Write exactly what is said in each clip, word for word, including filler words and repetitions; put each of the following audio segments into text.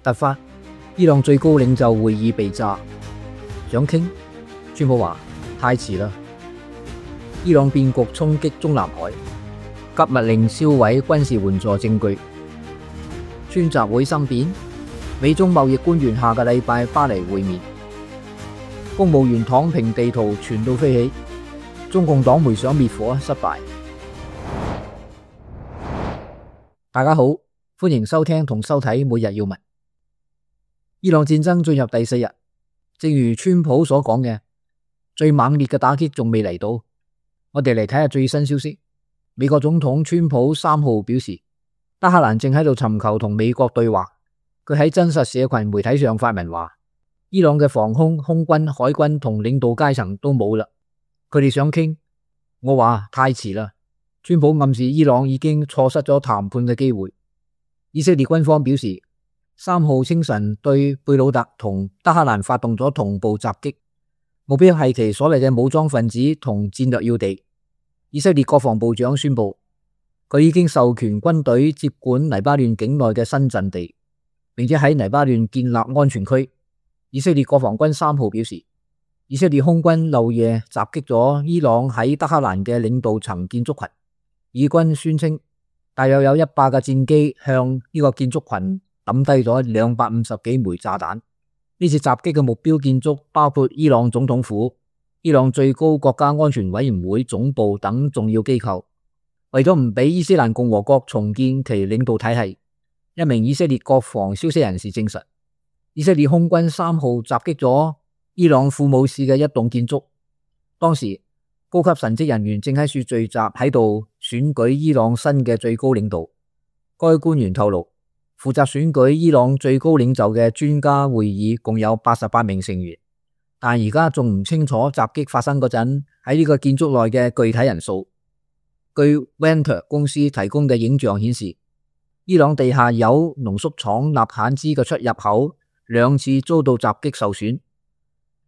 突發，伊朗最高領袖會議被炸，想傾，川普話太遲啦。伊朗變局衝擊中南海，急密令銷毀軍事援助證據。川習會生變，美中貿易官員下個禮拜巴黎會面。公務員躺平地圖傳到飛起，中共黨媒想滅火失敗。大家好，歡迎收聽同收睇每日要聞。伊朗戰爭進入第四日，正如川普所講嘅，最猛烈嘅打擊仲未嚟到。我哋嚟睇下最新消息。美國總統川普三號表示，德黑蘭正喺度尋求同美國對話。佢喺真實社群媒體上發文話，伊朗嘅防空、空軍、海軍同領導階層都冇啦，佢哋想傾。我話太遲啦。川普暗示伊朗已經錯失咗談判嘅機會。以色列軍方表示，三號清晨對貝魯特同德黑蘭發動咗同步襲擊，目標係其所謂嘅武裝分子同戰略要地。以色列國防部長宣布，佢已經授權軍隊接管黎巴嫩境內嘅新陣地，並且喺黎巴嫩建立安全區。以色列國防軍三號表示，以色列空軍漏夜襲擊咗伊朗喺德黑蘭嘅領導層建築群。以軍宣稱，大約有一百架戰機向呢個建築群抌低咗兩百五十幾枚炸彈。呢次襲擊嘅目標建築包括伊朗總統府、伊朗最高國家安全委員會總部等重要機構。為咗唔俾伊斯蘭共和國重建其領導體系，一名以色列國防消息人士證實，以色列空軍三號襲擊咗伊朗庫姆市嘅一棟建築。當時高級神職人員正喺處聚集喺度選舉伊朗新嘅最高領導。該官員透露，負責選舉伊朗最高領袖嘅專家會議共有八十八名成員，但而家仲唔清楚襲擊發生嗰陣喺呢個建築內嘅具體人數。據 Venter 公司提供嘅影像顯示，伊朗地下鈾濃縮廠納罕茲嘅出入口兩次遭到襲擊受損，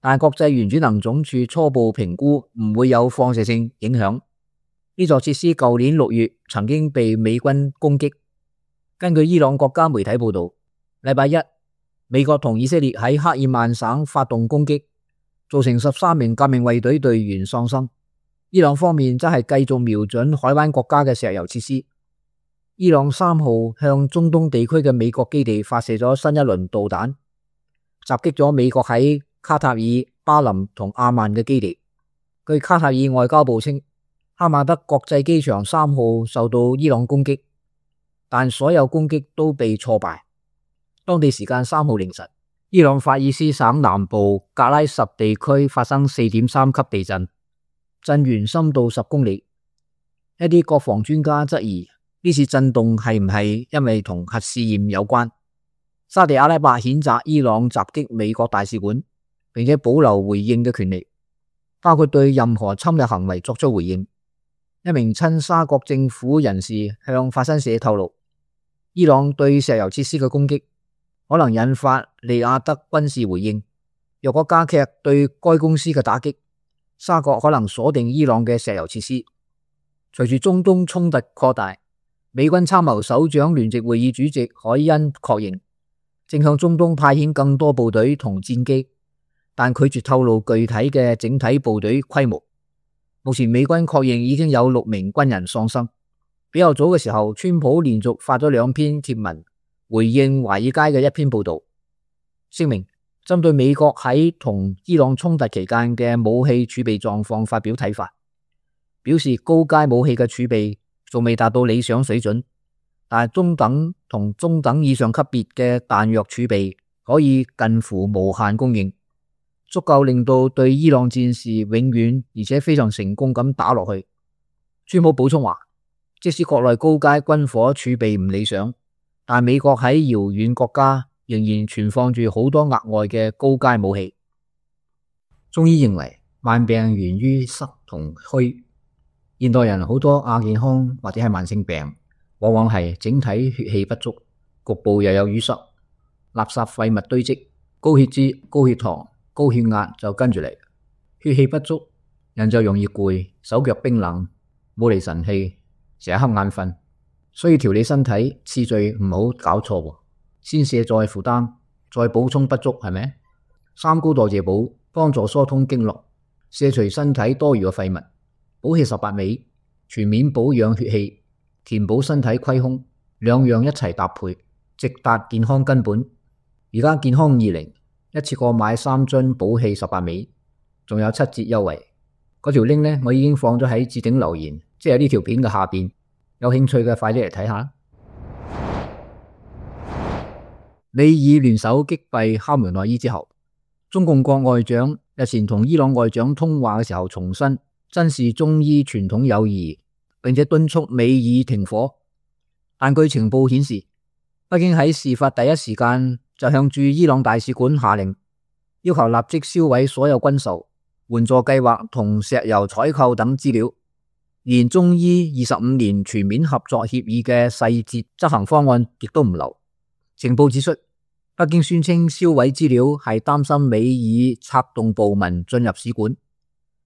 但國際原子能總署初步評估唔會有放射性影響。呢座設施舊年六月曾經被美軍攻擊。根據伊朗國家媒體報道，禮拜一，美國同以色列喺克爾曼省發動攻擊，造成十三名革命衛隊隊員喪生。伊朗方面則係繼續瞄準海灣國家嘅石油設施。伊朗三號向中東地區嘅美國基地發射咗新一輪導彈，襲擊咗美國喺卡塔爾、巴林同阿曼嘅基地。據卡塔爾外交部稱，哈馬德國際機場三號受到伊朗攻擊，但所有攻擊都被挫敗。當地時間三號凌晨，伊朗法爾斯省南部格拉什地區發生 四點三 級地震，震源深度十公里。一啲國防專家質疑呢次震動係唔係因為同核試驗有關。沙地阿拉伯譴責伊朗襲擊美國大使館，並且保留回應嘅權利，包括對任何侵略行為作出回應。一名親沙國政府人士向法新社透露，伊朗對石油設施嘅攻擊可能引發利雅得軍事回應。若果加劇對該公司嘅打擊，沙國可能鎖定伊朗嘅石油設施。隨住中東衝突擴大，美軍參謀首長聯席會議主席海恩確認，正向中東派遣更多部隊同戰機，但拒絕透露具體嘅整體部隊規模。目前美軍確認已經有六名軍人喪生。比較早嘅時候，川普連續發咗兩篇貼文回應華爾街嘅一篇報道，聲明針對美國喺同伊朗衝突期間嘅武器儲備狀況發表睇法，表示高階武器嘅儲備仲未達到理想水準，但係中等同中等以上級別嘅彈藥儲備可以近乎無限供應，足夠令到對伊朗戰事永遠而且非常成功咁打落去。川普補充話，即使國內高階軍火儲備唔理想，但美國喺遙遠國家仍然存放住好多額外嘅高階武器。中醫認為慢病源於濕同虛，現代人好多亞健康或者係慢性病，往往係整體血氣不足，局部又有淤塞，垃圾廢物堆積，高血脂、高血糖、高血壓就跟住嚟。血氣不足，人就容易攰，手腳冰冷，冇嚟神氣，成日瞌眼瞓。所以調理身體次序唔好搞錯。先卸載負擔，再補充不足，係咪？三高代謝補幫助疏通經絡，卸除身體多餘嘅廢物，補氣十八味，全面保養血氣，填補身體虧空，兩樣一齊搭配，直達健康根本。而家健康二零一次過買三樽補氣十八味，仲有七折優惠。嗰條 link 呢，我已經放咗喺置頂留言，即係呢條片嘅下邊。有興趣嘅快啲嚟睇下。美伊聯手擊斃哈梅內伊之後，中共國外長日前同伊朗外長通話嘅時候重申珍視中伊傳統友誼，並且敦促美伊停火。但據情報顯示，北京喺事發第一時間就向駐伊朗大使館下令，要求立即銷毀所有軍售、援助計劃同石油採購等資料，連中伊二十五年全面合作協議嘅細節執行方案亦都唔留。情報指出，北京宣稱銷毀資料係擔心美伊策動暴民進入使館，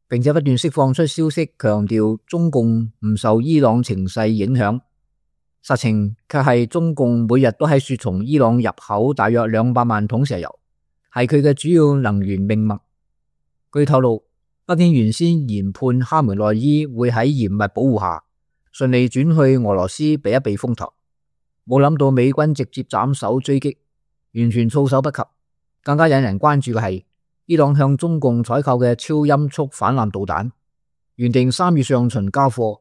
並且不斷釋放出消息，強調中共唔受伊朗情勢影響。實情卻係中共每日都喺說從伊朗入口大約兩百萬桶石油，係佢嘅主要能源命脈。據透露，北京原先研判哈梅內伊會喺嚴密保護下順利轉去俄羅斯避一避風頭，冇諗到美軍直接斬首追擊，完全措手不及。更加引人關注嘅係伊朗向中共採購嘅超音速反艦導彈，原定三月上旬交貨。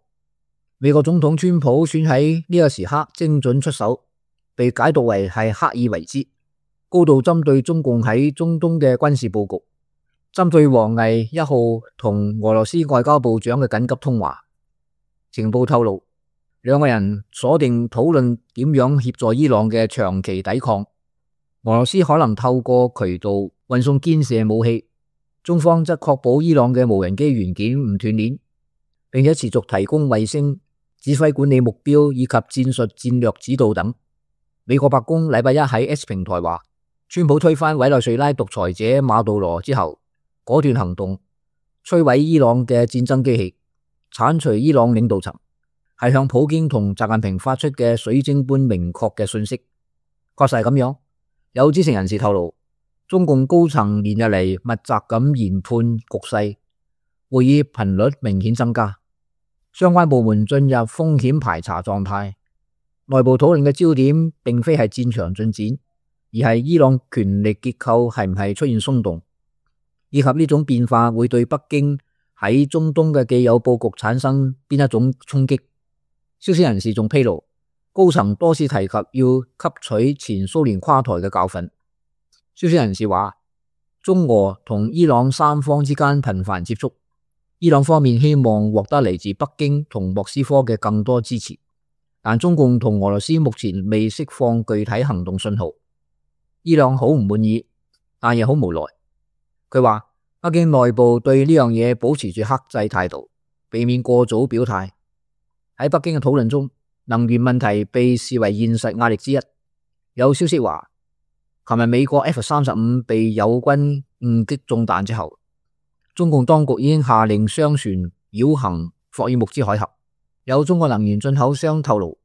美國總統川普選喺呢個時刻精準出手，被解讀為係刻意為之，高度針對中共喺中東嘅軍事佈局。針對王毅一號同俄羅斯外交部長嘅緊急通話，情報透露，兩個人鎖定討論點樣協助伊朗嘅長期抵抗。俄羅斯可能透過渠道運送堅射武器，中方則確保伊朗嘅無人機元件唔斷鏈，並且持續提供衛星、指揮管理目標以及戰術戰略指導等。美國白宮禮拜一喺 X 平台話，川普推翻委內瑞拉獨裁者馬杜羅之後，果斷行動，摧毀伊朗嘅戰爭機器，鏟除伊朗領導層，係向普京同習近平發出嘅水晶般明確嘅訊息。確實係咁樣。有知情人士透露，中共高層連日嚟密集咁研判局勢，會議頻率明顯增加，相關部門進入風險排查狀態。內部討論嘅焦點並非係戰場進展，而係伊朗權力結構係唔係出現鬆動，以及呢種變化會對北京喺中東嘅既有佈局產生邊一種衝擊。消息人士仲披露，高層多次提及要吸取前蘇聯垮台嘅教訓。消息人士話，中俄同伊朗三方之間頻繁接觸，伊朗方面希望獲得嚟自北京同莫斯科嘅更多支持，但中共同俄羅斯目前未釋放具體行動信號。伊朗好唔滿意，但亦好無奈。佢話北京內部對呢樣嘢保持住克制態度，避免過早表態。喺北京嘅討論中，能源問題被視為現實壓力之一。有消息話，琴日美國 F 三十五被友軍誤擊中彈之後，中共當局已經下令商船繞行霍爾木茲海峽。有中國能源進口商透露，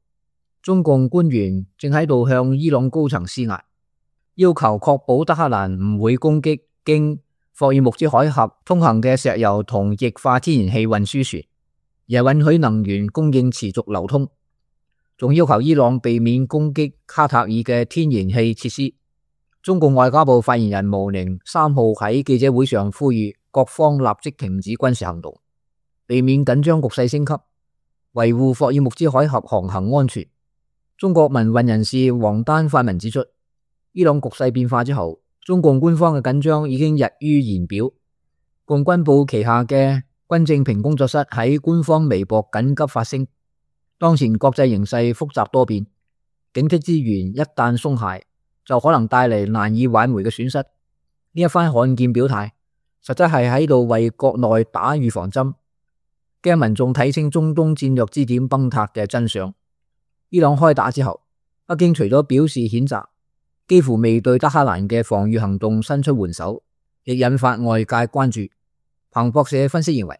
中共官員正喺度向伊朗高層施壓，要求確保德黑蘭唔會攻擊經霍爾木茲海峽通行嘅石油同液化天然氣運輸船，而係允許能源供應持續流通。仲要求伊朗避免攻擊卡塔爾嘅天然氣設施。中共外交部發言人毛寧三號喺記者會上呼籲各方立即停止軍事行動，避免緊張局勢升級，維護霍爾木茲海峽航行安全。中國民運人士王丹發文指出，伊朗局勢變化之後，中共官方嘅緊張已經溢於言表。共軍部旗下嘅軍政評工作室喺官方微博緊急發聲，當前國際形勢複雜多變，警惕之源一旦鬆懈，就可能帶嚟難以挽回嘅損失。呢一番罕見表態，實質係喺度為國內打預防針，驚民眾睇清中東戰略支點崩塌嘅真相。伊朗開打之後，北京除咗表示譴責，幾乎未對德黑蘭嘅防禦行動伸出援手，亦引發外界關注。彭博社分析認為，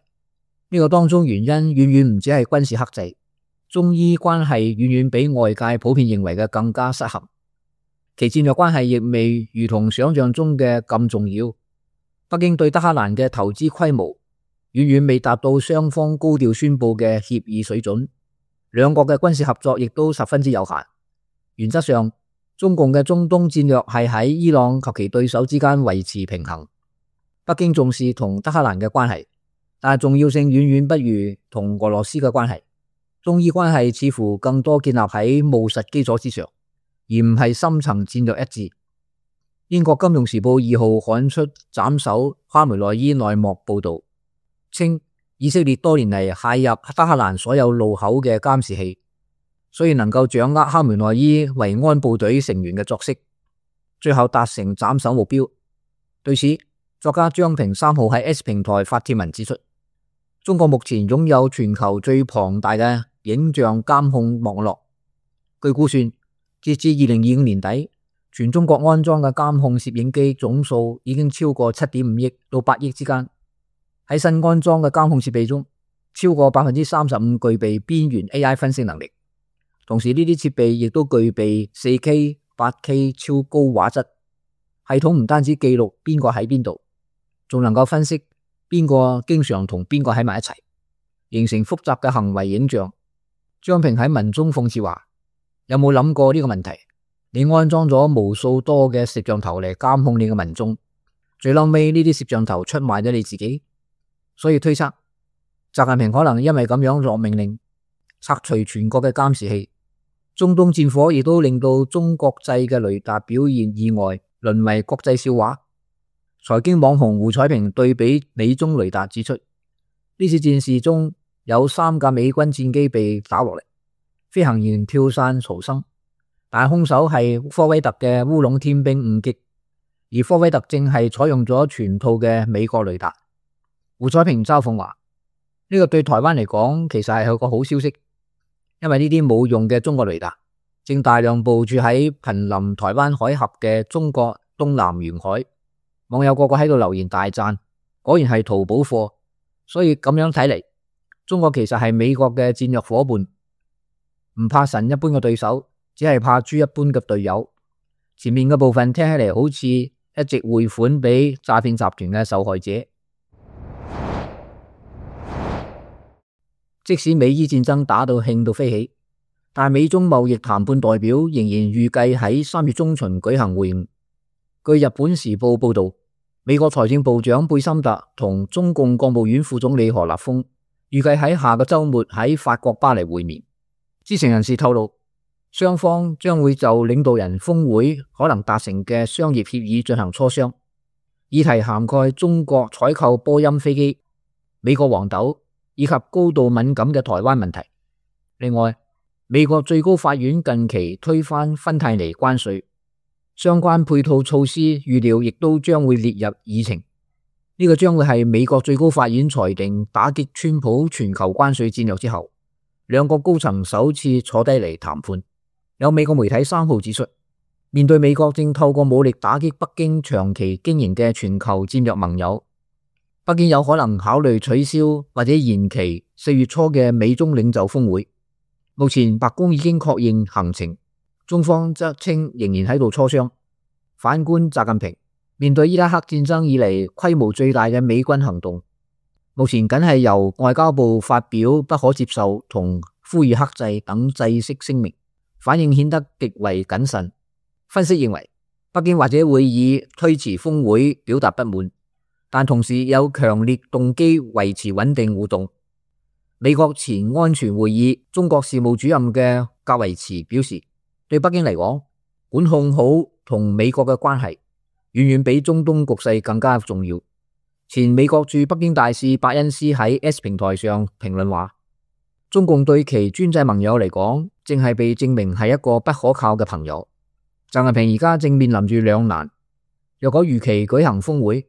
呢、這個當中原因遠遠唔止係軍事克制，中伊關係遠遠比外界普遍認為嘅更加失衡。其戰略關係亦未如同想象中嘅咁重要。北京對德黑蘭嘅投資規模遠遠未達到雙方高調宣布嘅協議水準，兩國嘅軍事合作亦都十分之有限。原則上，中共嘅中東戰略係喺伊朗及其對手之間維持平衡。北京重視同德黑蘭嘅關係，但係重要性遠遠不如同俄羅斯嘅關係。中伊關係似乎更多建立喺務實基礎之上，而唔係深層戰略一致。英國金融時報二號刊出斬首哈梅內伊內幕報道，稱以色列多年嚟械入德黑蘭所有路口嘅監視器，所以能夠掌握哈梅內伊維安部隊成員嘅作息，最後達成斬首目標。對此，作家張平三號喺 S 平台發帖文指出，中國目前擁有全球最龐大嘅影像監控網絡。據估算，截至二零二五年底，全中國安裝嘅監控攝影機總數已經超過七點五億到八億之間。喺新安裝嘅監控設備中，超過百分之三十五具備邊緣 A I 分析能力。同時呢啲設備亦都具備 四 K、八 K 超高畫質。系統唔單止記錄邊個喺邊度，仲能夠分析邊個經常同邊個喺埋一齊，形成複雜嘅行為影像。張平喺文中諷刺話：有冇諗過呢個問題？你安裝咗無數多嘅攝像頭嚟監控你嘅民眾，最後尾呢啲攝像頭出賣咗你自己。所以推測，習近平可能因為咁樣落命令拆除全國嘅監視器。中東戰火亦都令到中國製嘅雷達表現意外，淪為國際笑話。財經網紅胡彩平對比美中雷達指出，呢次戰事中有三架美軍戰機被打落嚟，飛行員跳傘逃生，但係兇手係科威特嘅烏龍天兵誤擊，而科威特正係採用咗全套嘅美國雷達。胡彩平嘲諷話：呢個對台灣嚟講其實係有個好消息，因為呢啲冇用嘅中國雷達正大量部署喺瀕臨台灣海峽嘅中國東南沿海。網友個個喺度留言大讚，果然係淘寶貨。所以咁樣睇嚟，中國其實係美國嘅戰略夥伴，唔怕神一般嘅對手，只係怕豬一般嘅隊友。前面嘅部分聽起嚟好似一直匯款俾詐騙集團嘅受害者。即使美伊戰爭打到興到飛起，但美中貿易談判代表仍然預計喺三月中旬舉行會晤。據日本時報報道，美國財政部長貝森特同中共國務院副總理何立峰預計喺下個週末喺法國巴黎會面。知情人士透露，雙方將會就領導人峰會可能達成嘅商業協議進行磋商，議題涵蓋中國採購波音飛機、美國黃豆以及高度敏感嘅台灣問題。另外，美國最高法院近期推翻芬太尼關稅，相關配套措施預料亦都將會列入議程。呢個將會係美國最高法院裁定打擊川普全球關稅戰略之後，兩國高層首次坐低嚟談判。有美國媒體三號指出，面對美國正透過武力打擊北京長期經營嘅全球戰略盟友，北京有可能考慮取消或者延期四月初嘅美中領袖峰會。目前白宮已經確認行程，中方則稱仍然喺度磋商。反觀習近平，面對伊拉克戰爭以嚟規模最大嘅美軍行動，目前僅係由外交部發表不可接受同呼籲克制等制式聲明，反應顯得極為謹慎。分析認為，北京或者會以推遲峰會表達不滿，但同時有強烈動機維持穩定互動。美國前安全會議中國事務主任嘅格維茨表示，對北京嚟講，管控好同美國嘅關係遠遠比中東局勢更加重要。前美國駐北京大使伯恩斯喺 S 平台上評論話，中共對其專制盟友嚟講，正係被證明係一個不可靠嘅朋友。習近平而家正面臨住兩難，若果如期舉行峰會，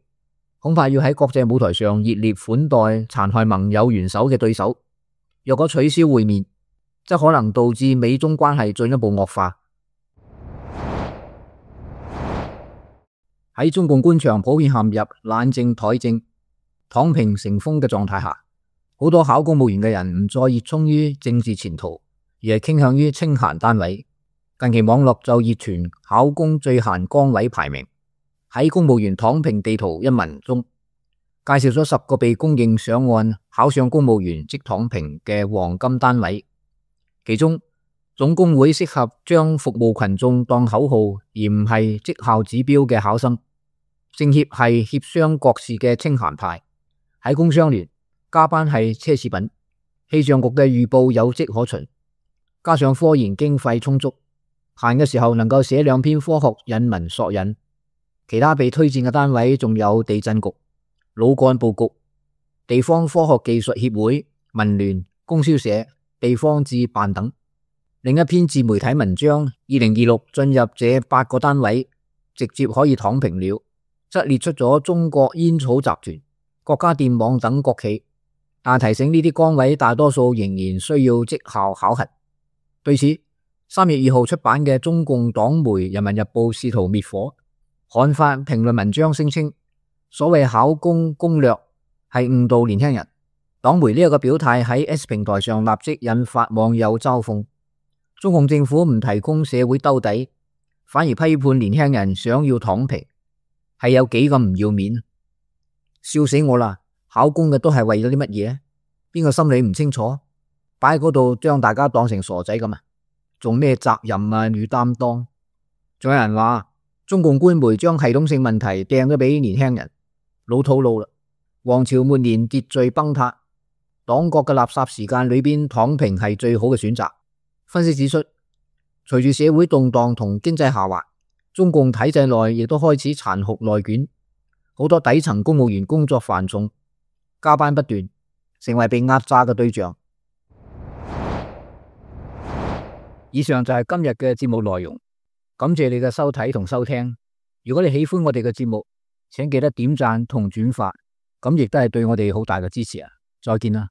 恐怕要喺國際舞台上熱烈款待殘害盟友元首嘅對手；若果取消會面，則可能導致美中關係進一步惡化。喺中共官場普遍陷入懶政怠政、躺平成風嘅狀態下，好多考公務員嘅人唔再熱衷於政治前途，而係傾向於清閒單位。近期網絡就熱傳考公最閒崗位排名，喺公務員躺平地圖一文中介紹咗十個被公認上岸考上公務員即躺平嘅黃金單位，其中總工會適合將服務群眾當口號而唔係績效指標嘅考生，政協係協商國事嘅清閒派，喺工商聯加班係奢侈品，氣象局嘅預報有跡可循，加上科研經費充足，閒嘅時候能夠寫兩篇科學引文索引。其他被推薦嘅單位仲有地震局、老幹部局、地方科學技術協會、民聯、供銷社、地方志辦等。另一篇自媒體文章，二零二六進入這八個單位，直接可以躺平了，則列出咗中國煙草集團、國家電網等國企，但提醒呢啲崗位大多數仍然需要績效考核。對此，三月二號出版嘅中共黨媒《人民日報》試圖滅火，刊發評論文章聲稱，所謂考公攻略係誤導年輕人。黨媒呢一個表態喺 X 平台上立即引發網友嘲諷，中共政府唔提供社會兜底，反而批判年輕人想要躺平，係有幾咁唔要面，笑死我啦！考公嘅都係為咗啲乜嘢？邊個心理唔清楚？擺喺嗰度將大家當成傻仔咁啊？做咩責任啊與擔當？仲有人話中共官媒將系統性問題掟咗俾年輕人，老土路啦！王朝末年秩序崩塌，黨國嘅垃圾時間裏邊躺平係最好嘅選擇。分析指出，隨住社會動盪同經濟下滑，中共體制內亦都開始殘酷內捲，好多底層公務員工作繁重，加班不斷，成為被壓榨嘅對象。以上就係今日嘅節目內容，感謝你嘅收睇同收聽。如果你喜歡我哋嘅節目，請記得點讚同轉發，咁亦都係對我哋好大嘅支持啊！再見啦。